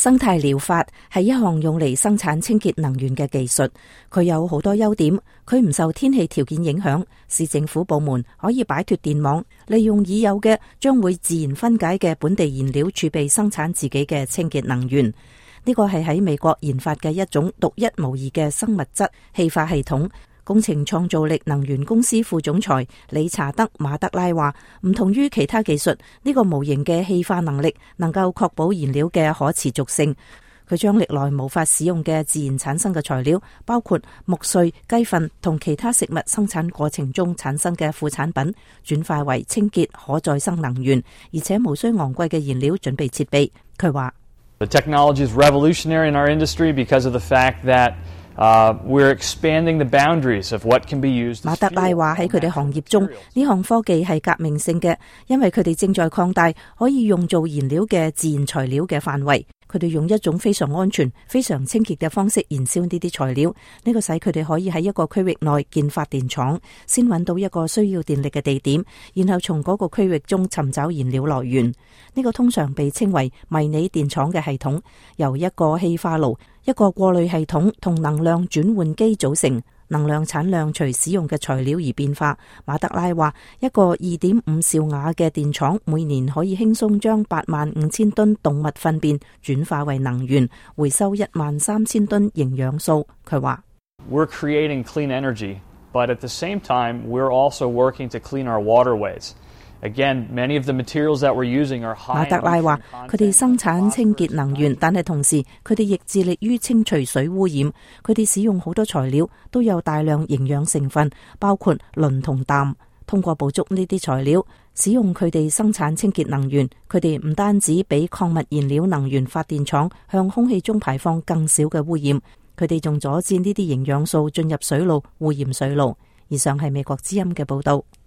生態療法係一項用嚟生產清潔能源嘅技術，佢有好多優點。佢唔受天氣條件影響，市政府部門可以擺脫電網，利用已有嘅將會自然分解嘅本地燃料儲備生產自己嘅清潔能源。呢個係喺美國研發嘅一種獨一無二嘅生物質氣化系統。工程創造力能源公司副總裁理查德馬德拉話，唔同於其他技術，呢個模型嘅氣化能力能夠確保燃料嘅可持續性。佢將歷來無法使用嘅自然產生嘅材料，包括木碎、雞糞同其他食物生產過程中產生嘅副產品，轉化為清潔可再生能源，而且無需昂貴嘅燃料準備設備。佢話：The technology is revolutionary in our industry because of the fact that we're expanding the boundaries of what can be used. 馬德拉話喺佢哋行業中，呢項科技係革命性嘅，因為佢哋正在擴大可以用做燃料嘅自然材料嘅範圍。佢哋用一種非常安全、非常清潔嘅方式燃燒呢啲材料，呢個使佢哋可以喺一個區域內建發電廠，先揾到一個需要電力嘅地點，然後從嗰個區域中尋找燃料來源。呢個通常被稱為迷你電廠嘅系統，由一個氣化爐、一個過濾系統同能量轉換機組成。能量產量隨使用嘅材料而變化。馬德拉話，一個 2.5 兆瓦嘅電廠每年可以輕鬆將85000噸動物糞便轉化為能源，回收13000噸營養素。佢話：We're creating clean energy, but at the same time, we're also working to clean our waterways. Again, many of the materials that we're using are high. 馬德拉話：佢哋生產清潔能源，但係同時佢哋亦致力於清除水污染。佢哋使用好多材料，都有大量營養成分，包括磷同氮。通過捕捉呢啲材料，使用佢哋生產清潔能源，佢哋唔單止比礦物燃料能源發電廠向空氣中排放更少嘅污染，佢哋仲阻止呢啲營養素進入水路，污染水路。以上係美國之音嘅報道。